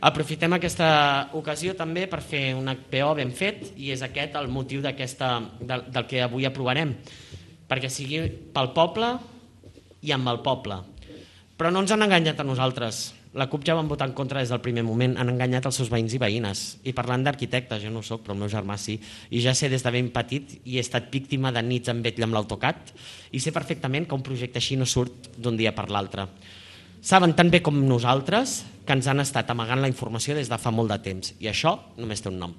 Aprofitem aquesta ocasió també per fer un HPO ben fet i és aquest el motiu del que avui aprovarem, perquè sigui pel poble i amb el poble. Però no ens han enganyat a nosaltres. La CUP ja van votar en contra des del primer moment, han enganyat els seus veïns i veïnes. I parlant d'arquitectes, jo no ho soc, però el meu germà sí, i ja sé des de ben petit i he estat víctima de nits en vetlla amb l'AutoCAD i sé perfectament que un projecte així no surt d'un dia per l'altre. Saben tan bé com nosaltres que ens han estat amagant la informació des de fa molt de temps i això només té un nom.